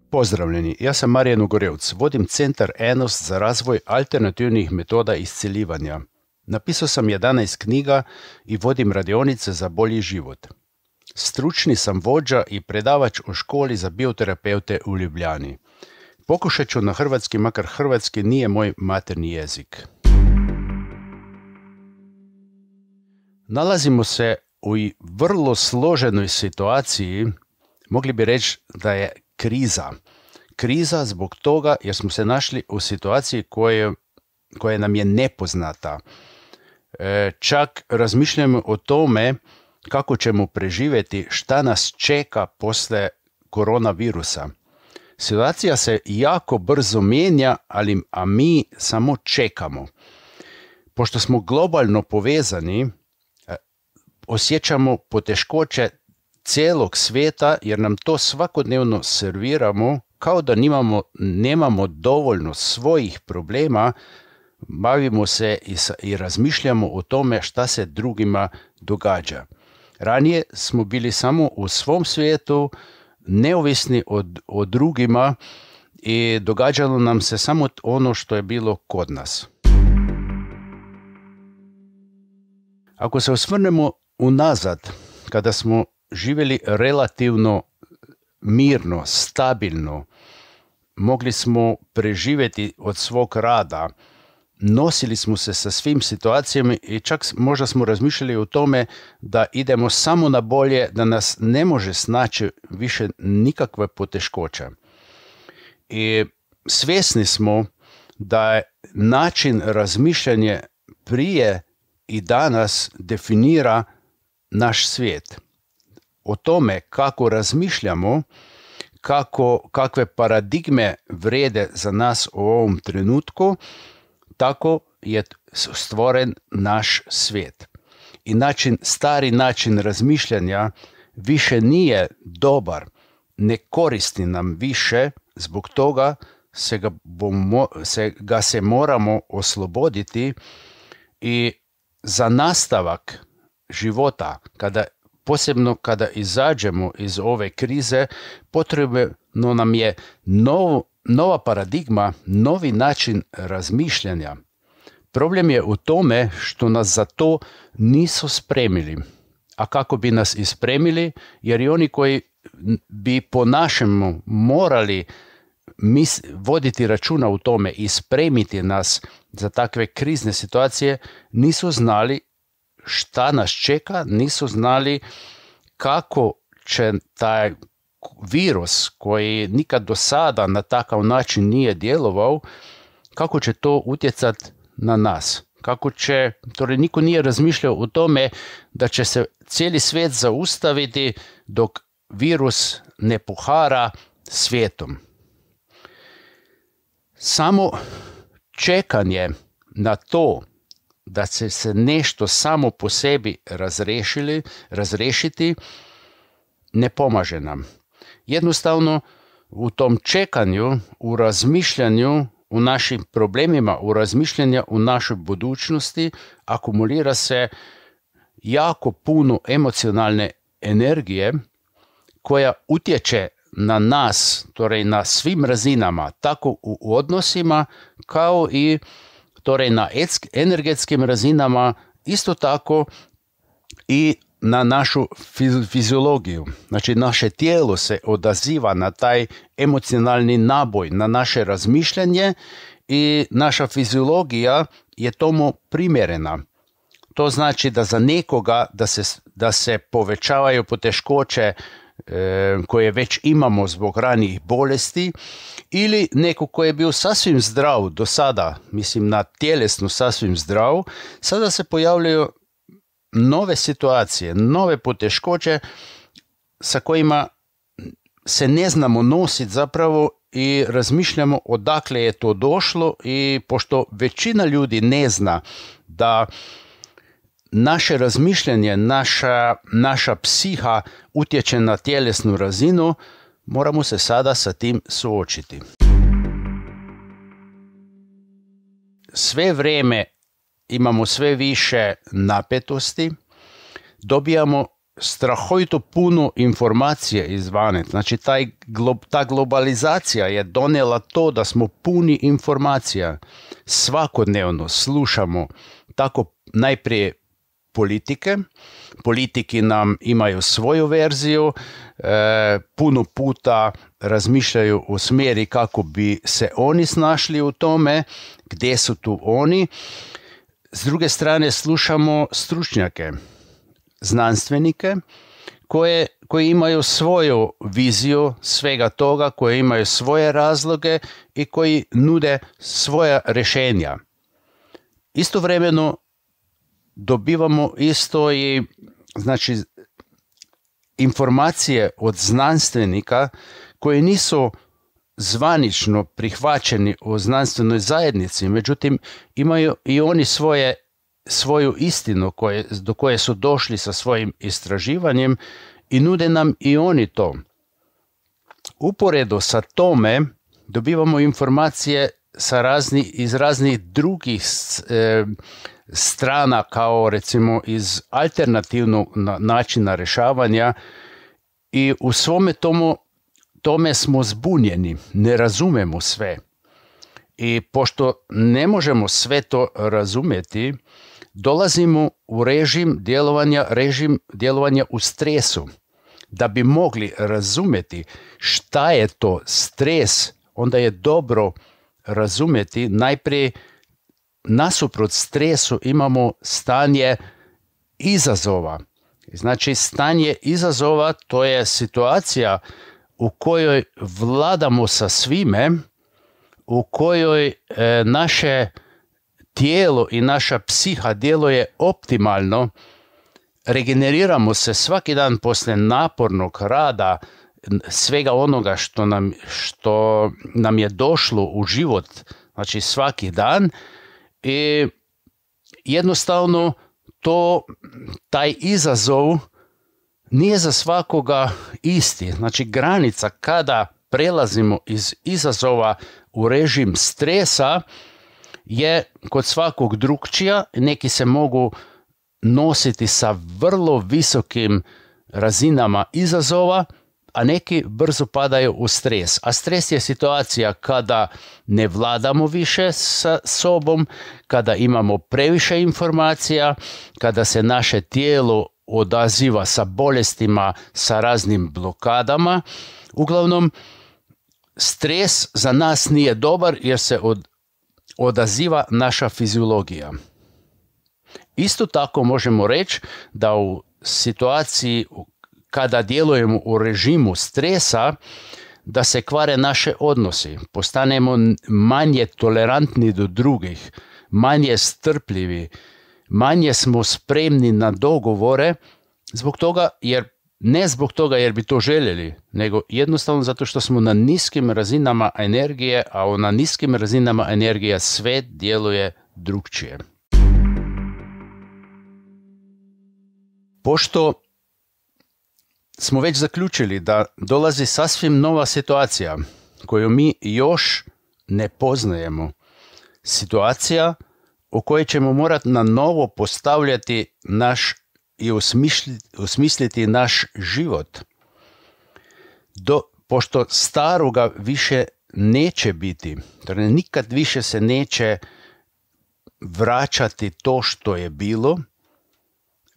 Pozdravljeni, ja sam Marijan Ugorevc, vodim Centar Enost za razvoj alternativnih metoda isceljivanja. Napisao sam 11 knjiga i vodim radionice za bolji život. Stručni sam vođa i predavač u školi za bioterapeute u Ljubljani. Pokušat ću na hrvatski, makar hrvatski nije moj materni jezik. Nalazimo se u vrlo složenoj situaciji, mogli bi reći da je kriza. Kriza zbog toga jer smo se našli u situaciji koja nam je nepoznata. Čak razmišljamo o tome kako ćemo preživjeti, šta nas čeka poslije koronavirusa. Situacija se jako brzo mijenja, a mi samo čekamo. Pošto smo globalno povezani, osjećamo poteškoće cijelog svijeta jer nam to svakodnevno serviramo kao da nemamo dovoljno svojih problema, bavimo se i razmišljamo o tome šta se drugima događa. Ranije smo bili samo u svom svijetu, neovisni o drugima i događalo nam se samo ono što je bilo kod nas. Ako se osvrnemo unazad, kada smo živjeli relativno mirno, stabilno, mogli smo preživjeti od svog rada, nosili smo se sa svim situacijama i čak možda smo razmišljali o tome da idemo samo na bolje, da nas ne može snaći više nikakve poteškoće. I svjesni smo da je način razmišljanja prije i danas definira naš svijet. O tome kako razmišljamo, kakve paradigme vrijede za nas u ovom trenutku, tako je stvoren naš svijet. I stari način razmišljanja više nije dobar, ne koristi nam više, zbog toga se moramo osloboditi i za nastavak života, posebno kada izađemo iz ove krize, potrebno nam je nova paradigma, novi način razmišljanja. Problem je u tome što nas za to nisu spremili. A kako bi nas ispremili? Jer i oni koji bi po našemu morali voditi računa u tome i spremiti nas za takve krizne situacije, nisu znali šta nas čeka, nisu znali kako će taj virus koji nikad do sada na takav način nije djelovao, kako će to utjecati na nas. Torej niko nije razmišljao o tome da će se cijeli svijet zaustaviti dok virus ne pohara svijetom. Samo čekanje na to da će se nešto samo po sebi razriješiti ne pomaže nam. Jednostavno, u tom čekanju, u razmišljanju, u našim problemima, u razmišljanju u našoj budućnosti, akumulira se jako puno emocionalne energije koja utječe na nas, torej na svim razinama, tako u odnosima kao i torej na energetskim razinama, isto tako i na našu fiziologiju. Znači, naše tijelo se odaziva na taj emocionalni naboj, na naše razmišljanje i naša fiziologija je tomu primjerena. To znači da za nekoga da se povećavaju poteškoće koje već imamo zbog ranijih bolesti, ili neko koji je bio sasvim zdrav do sada, mislim na tjelesno sasvim zdrav, sada se pojavljaju nove situacije, nove poteškoće sa kojima se ne znamo nositi zapravo i razmišljamo odakle je to došlo, i pošto većina ljudi ne zna da naše razmišljanje, naša psiha utječe na tjelesnu razinu, moramo se sada sa tim suočiti. Sve vrijeme imamo sve više napetosti, dobijamo strahovito puno informacije izvane. Znači, ta globalizacija je donijela to da smo puni informacija. Svakodnevno slušamo tako najprije politike. Politiki nam imaju svoju verziju, puno puta razmišljaju o smjeri kako bi se oni snašli u tome, gdje su tu oni. S druge strane slušamo stručnjake, znanstvenike koji imaju svoju viziju svega toga, koji imaju svoje razloge i koji nude svoja rješenja. Istovremeno dobivamo isto i znači informacije od znanstvenika koji nisu zvanično prihvaćeni u znanstvenoj zajednici, međutim imaju i oni svoju istinu do koje su došli sa svojim istraživanjem i nude nam i oni to. Uporedo sa tome dobivamo informacije iz raznih drugih strana, kao recimo iz alternativnog načina rješavanja, i u svome tome smo zbunjeni, ne razumemo sve. I pošto ne možemo sve to razumjeti, dolazimo u režim djelovanja u stresu. Da bi mogli razumjeti šta je to stres, onda je dobro razumjeti najprije nasuprot stresu imamo stanje izazova. Znači, stanje izazova to je situacija u kojoj vladamo sa svime, u kojoj naše tijelo i naša psiha djeluje optimalno, regeneriramo se svaki dan poslije napornog rada, svega onoga što nam je došlo u život, znači svaki dan, i jednostavno taj izazov nije za svakoga isti. Znači, granica kada prelazimo iz izazova u režim stresa je kod svakog drukčija. Neki se mogu nositi sa vrlo visokim razinama izazova, a neki brzo padaju u stres. A stres je situacija kada ne vladamo više sa sobom, kada imamo previše informacija, kada se naše tijelo odaziva sa bolestima, sa raznim blokadama. Uglavnom, stres za nas nije dobar jer se odaziva naša fiziologija. Isto tako možemo reći da u situaciji kada djelujemo u režimu stresa, da se kvare naše odnosi, postanemo manje tolerantni do drugih, manje strpljivi, manje smo spremni na dogovore, ne zbog toga jer bi to željeli, nego jednostavno zato što smo na niskim razinama energije, a na niskim razinama energije sve djeluje drukčije. Pošto smo već zaključili da dolazi sasvim nova situacija koju mi još ne poznajemo, situacija u kojoj ćemo morati na novo postavljati i osmisliti naš život. Pošto staroga više neće biti, torej nikad više se neće vraćati to što je bilo,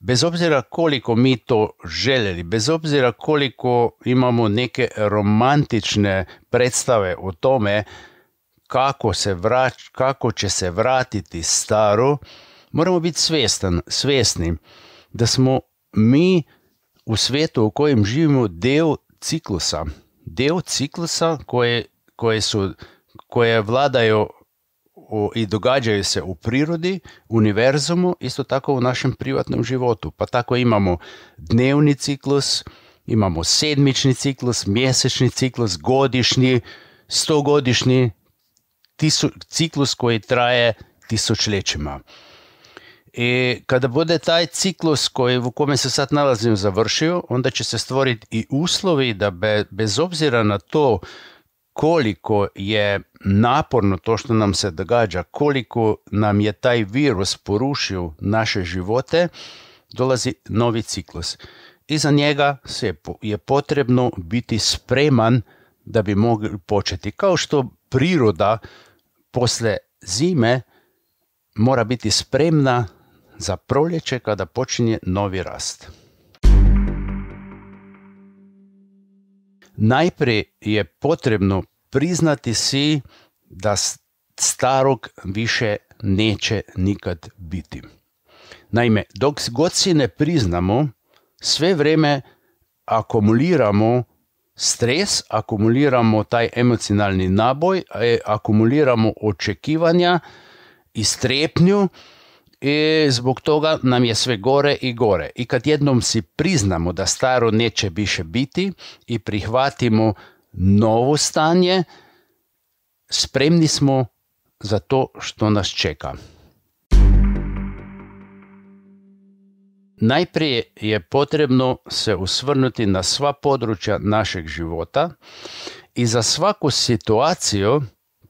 bez obzira koliko mi to željeli, bez obzira koliko imamo neke romantične predstave o tome kako će se vratiti staro, moramo biti svjesni da smo mi u svijetu u kojem živimo dio ciklusa koje vladaju i događaju se u prirodi, univerzumu, isto tako u našem privatnom životu. Pa tako imamo dnevni ciklus, imamo sedmični ciklus, mjesečni ciklus, godišnji, 100-godišnji ciklus koji traje tisućljećima. I kada bude taj ciklus u kome se sad nalazim završio, onda će se stvoriti i uslovi da bez obzira na to koliko je naporno to što nam se događa, koliko nam je taj virus porušio naše živote, dolazi novi ciklus. i za njega je potrebno biti spreman da bi mogli početi. Kao što priroda posle zime mora biti spremna za proljeće kada počinje novi rast. Najprije je potrebno priznati si da starog više neće nikad biti. Naime, dok god si ne priznamo, sve vrijeme akumuliramo stres, akumuliramo taj emocionalni naboj, akumuliramo očekivanja i strepnju i zbog toga nam je sve gore i gore. I kad jednom si priznamo da staro neće više biti i prihvatimo novo stanje, spremni smo za to što nas čeka. Najprije je potrebno se osvrnuti na sva područja našeg života i za svaku situaciju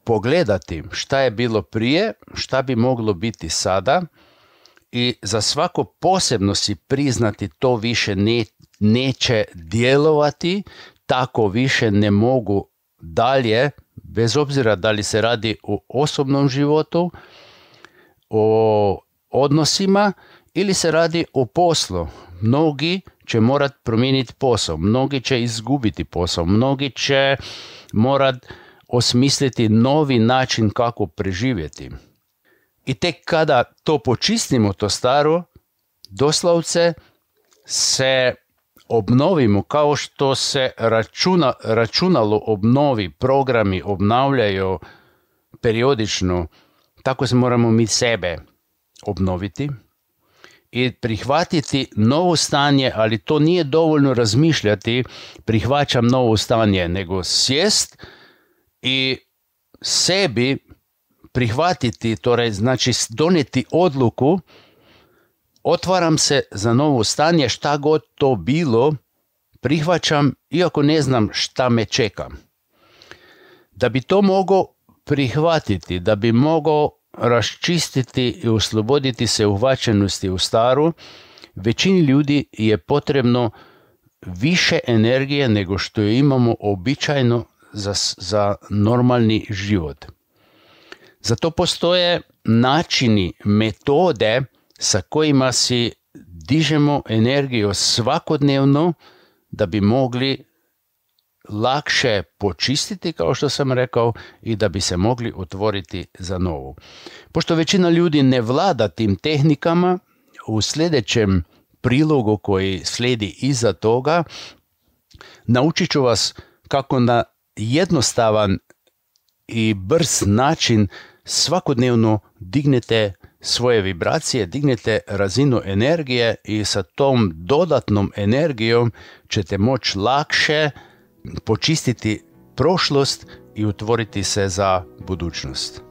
pogledati šta je bilo prije, šta bi moglo biti sada i za svako posebno si priznati to više neće djelovati, tako više ne mogu dalje, bez obzira da li se radi o osobnom životu, o odnosima ili se radi o poslu. Mnogi će morati promijeniti posao, mnogi će izgubiti posao, mnogi će morati osmisliti novi način kako preživjeti. I tek kada to počistimo, to staro, doslovce se obnovimo kao što se računalo obnovi, programi obnavljaju periodično, tako se moramo mi sebe obnoviti i prihvatiti novo stanje, ali to nije dovoljno razmišljati, prihvaćam novo stanje, nego sjest i sebi prihvatiti, torej znači donijeti odluku, otvaram se za novo stanje, šta god to bilo, prihvaćam iako ne znam šta me čeka. Da bi to mogao prihvatiti, da bi mogao raščistiti i osloboditi se uhvaćenosti u staru, većini ljudi je potrebno više energije nego što je imamo običajno za normalni život. Zato postoje načini, metode sa kojima si dižemo energiju svakodnevno da bi mogli lakše počistiti, kao što sam rekao, i da bi se mogli otvoriti za novu. Pošto većina ljudi ne vlada tim tehnikama, u sljedećem prilogu koji slijedi iza toga, naučit ću vas kako na jednostavan i brz način svakodnevno dignete svoje vibracije, dignete razinu energije i sa tom dodatnom energijom ćete moći lakše počistiti prošlost i otvoriti se za budućnost.